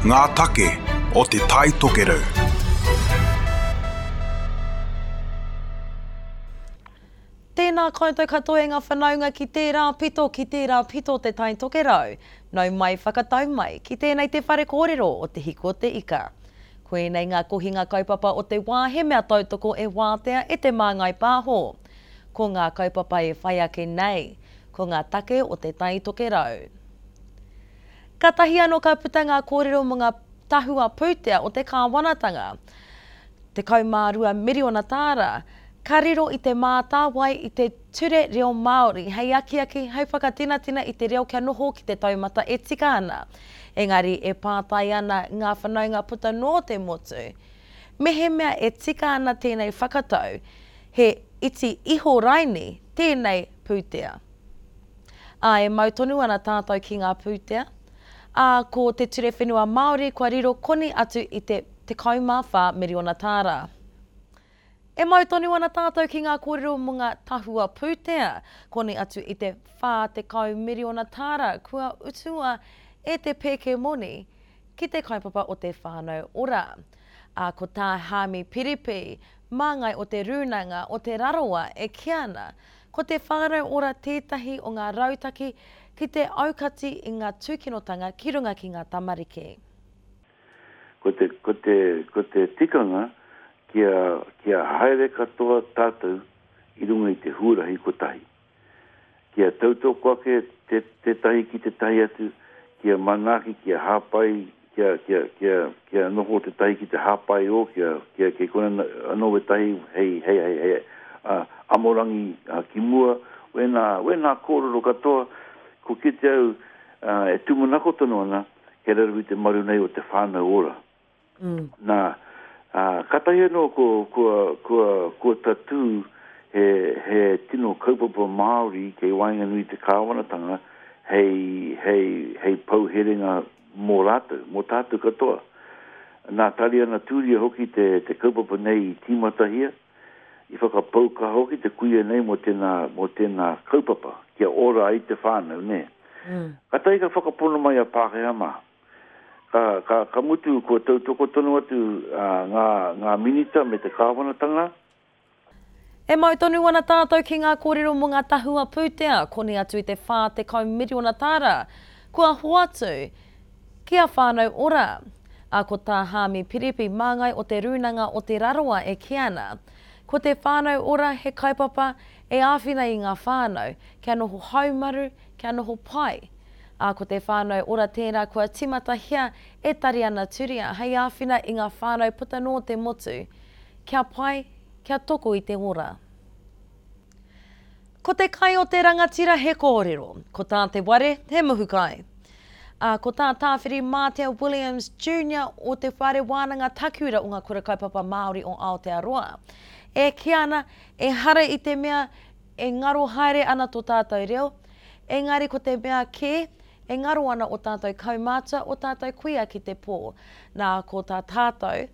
Ngā take o Te Tai Tokerau. Tēnā koutou katoa e ngā whanaunga ki tērā pito, ki tērā pito o Te Tai Tokerau. Nau mai, whakatau mai, ki tēnei te whare kōrero o Te Hiku o Te Ika. Koinei ngā kohinga kaupapa o te wā he mea tautoko e wātea e Te Māngai Pāho. Ko ngā kaupapa e whai ake nei, ko ngā take o Te Tai Tokerau. Kātahi anō ka puta ngā kōrero mō ngā tahua pūtea o te kāwanatanga. 12 miriona tāra, ka riro i Te Mātāwai i te Ture Reo Māori hei akiaki, hei whakatinatina i te reo kia noho ki te taumata e tika ana. Engari e pātai ana ngā whanaunga puta noa te motu, mehemea e tika ana tēnei whakatau, he iti iho raini tēnei pūtea. Ā, e mau tonu ana tātou ki ngā pūtea. Ā, ko Te Ture Whenua Māori kua riro koni atu i te 14 miriona tāra. E mau tonu ana tātou ki ngā kōrero mō ngā tahua pūtea, koni atu i te 40 miriona tāra kua utua e te pēke moni ki te kaupapa o te Whānau Ora. Ā, ko tā Haami Piripi, māngai o Te Rūnanga o Te Rarawa e kī ana, Ko te Whānau Ora tētahi o ngā rautaki ki te aukati i ngā tūkinotanga ki runga ki ngā tamariki. Ko te, ko te, ko te tikanga kia, kia haere katoa tātou i runga i te huarahi kotahi. Kia tautoko ake te, tētahi ki tētahi atu, kia manaaki, kia hāpai, kia, kia, kia, kia noho tētahi ki te hāpai ō, kia, kia, kei kona anō wētahi hei, hei, hei, hei, ā, amorangi ā, ki mua, wēnā, wēnā kōrero katoa, ko kite au, ā, e tūmanako tonu ana, kei raro i te maru nei o te whānau ora. Mm. Nā, ā, kātahi anō ko, kua, kua, kua tatū he, he tino kaupapa Māori kei waenganui i te kāwanatanga hei, hei, hei pou herenga mō rātou, mō tātou katoa. Nā Tariana Tūria hoki te, te kaupapa nei i tīmatahia, i whakapau kaha hoki te kuia nei mō tēnā, mō tēnā kaupapa, kia ora ai te whānau, nē. Mm. Kātahi ka whakapono mai a Pākehā mā. Ka, ka, ka mutu kua tautoko tonu atu ngā, ngā minita me te kāwanatanga. E mau tonu ana tātou ki ngā kōrero mō ngā tahua pūtea koni atu i te 40 miriona tāra kua hoatu ki a Whānau Ora. Ā, ko tā Haami Piripi, māngai o Te Rūnanga o Te Rarawa e kī ana, ko te Whānau Ora he kaupapa e āwhina i ngā whānau kia noho haumaru, kia noho pai. Ā, ko te Whānau Ora tērā kua tīmatahia e Tariana Turia hei āwhina i ngā whānau puta noa te motu, kia pai, kia toko i te ora. Ko te kai o te rangatira he kōrero, ko tā te ware he muhu kai. Ā, ko tā Tāwhirimātea Williams Junior o Te Whare Wānanga Takiura o Ngā Kura Kaupapa Māori o Aotearoa, e kī ana, ehara i te mea e ngaro haere ana tō tātou reo, Engari ko te mea kē, e ngaro ana o tātou kaumātua, o tātou kuia ki te pō. Nā, ko tā tātou,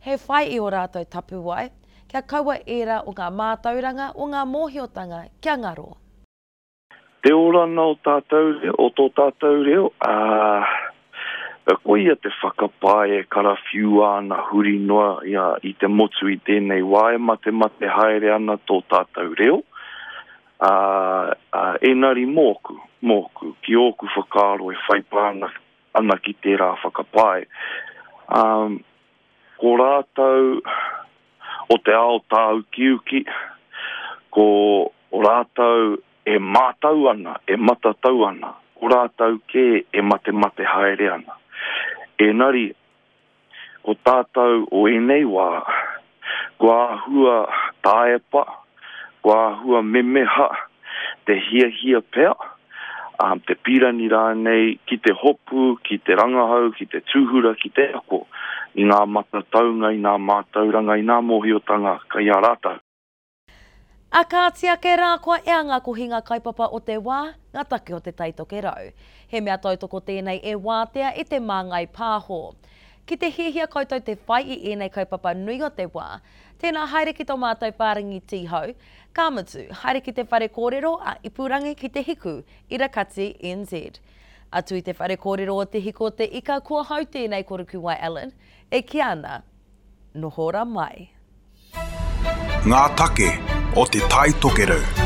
he whai i ō rātou tapuwae, kia kaua ērā o ngā mātauranga, o ngā mōhiotanga kia ngaro. Te oranga o tātou reo, o tō tātou reo, ā, koia te whakapae e karawhiua ana huri noa i a, i te motu i tēnei wā e matemate haere ana tō tātou reo, Ā, ā, engari mōku, mōku, ki ōku whakaaro e whai pānga ana ki tērā whakapae, ā, ko rātou o te ao tāukiuki, ko rātou e mātau ana, e matatau ana, ko rātou kē e matemate haere ana. Engari, Ko tātou o ēnei wā, kua āhua taepa, kua āhua memeha te hiahia pea, te pīrangi rānei ki te hopu, ki te rangahau, ki te tūhura, ki te ako i ngā matataunga, i ngā mātauranga, i ngā mōhiotanga kei a rātou. A kāti ake rā kua ea ngā kohinga kaupapa o te wā, ngā take o Te Tai Tokerau. He mea tautoko tēnei e wātea e Te Māngai Pāho. Ki te hiahia koutou te whai i ēnei kaupapa nui o te wā, tēnā haere ki tō mātou whārangi tīhau, ka mutu, haere ki te whare kōrero a Ipurangi ki Te Hiku, Irakati, NZ. Atu i te whare kōrero o Te Hiko o te Ika, ko ahau tēnei ko Rukuwai Allen, e kī ana, noho ora mai. Ngā take o Te Tai Tokerau.